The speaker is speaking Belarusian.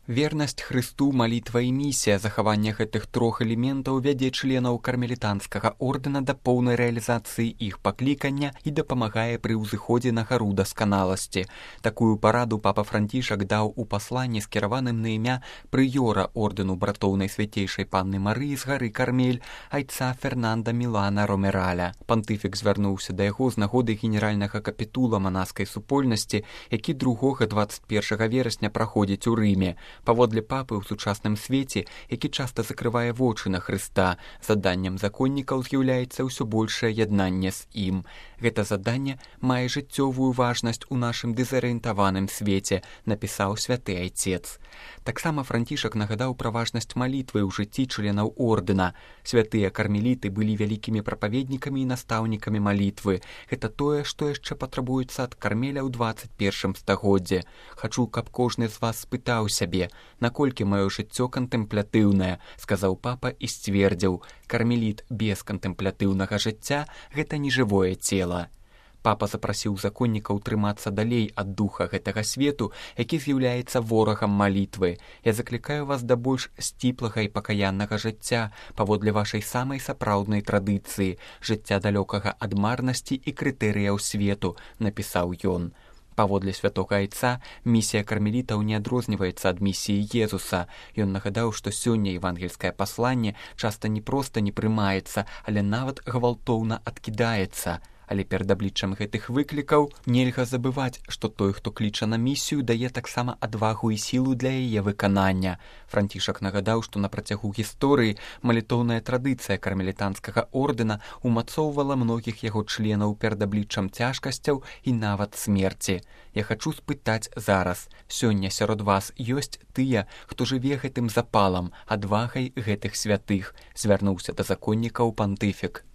Вернасць Хрысту, малітва і місія. Захаванне гэтых трох элементаў вядзе членаў кармелітанскага ордэна да поўнай рэалізацыі іх паклікання і дапамагае пры ўзыходзе на гару дасканаласці. Такую параду папа Францішак даў у пасланні, скіраваным на імя прыёра ордэну братоў Найсвяцейшай Панны Марыі з гары Кармель, айца Фернанда Мілана Ромераля. Пантыфік звярнуўся да яго з нагоды генеральнага капітула манаскай супольнасці, які 2-21 верасня праходзіць у Рыме. Паводле папы ў сучасным свеце, які часта закрывае вочы на Хрыста, заданнем законнікаў з'яўляецца ўсё большае яднанне з ім. Гэта заданне мае жыццёвую важнасць у нашым дэзарыентаваным свеце, напісаў святы айцец. Таксама Францішак нагадаў пра важнасць малітвы ў жыцці членаў ордэна. Святыя кармеліты былі вялікімі прапаведнікамі і настаўнікамі малітвы. Гэта тое, што яшчэ патрабуецца ад Кармеля ў 21 стагоддзе. Хачу, каб кожны з вас спытаў сябе, наколькі маё жыццё кантэмплятыўнае, сказаў папа і сцвердзіў: кармеліт без кантэмплятыўнага жыцця — гэта нежывое цела. Папа запрасіў законнікаў трымацца далей ад духа гэтага свету, які з'яўляецца ворагам малітвы. Я заклікаю вас да больш сціплага і пакаяннага жыцця паводле вашай самай сапраўднай традыцыі, жыцця далёкага ад марнасці і крытэрыяў свету, напісаў ён. Паводле святога айца, місія кармелітаў не адрозніваецца ад місіі Езуса. Ён нагадаў, што сёння евангельскае пасланне часта не проста не прымаецца, але нават гвалтоўна адкідаецца. Але перад абліччам гэтых выклікаў нельга забываць, што той, хто кліча на місію, дае таксама адвагу і сілу для яе выканання. Францішак нагадаў, што на працягу гісторыі малітоўная традыцыя кармелітанскага ордэна умацоўвала многіх яго членаў перад абліччам цяжкасцяў і нават смерці. Я хачу спытаць зараз: сёння сярод вас ёсць тыя, хто жыве гэтым запалам, адвагай гэтых святых? Звярнуўся да законнікаў пантыфік.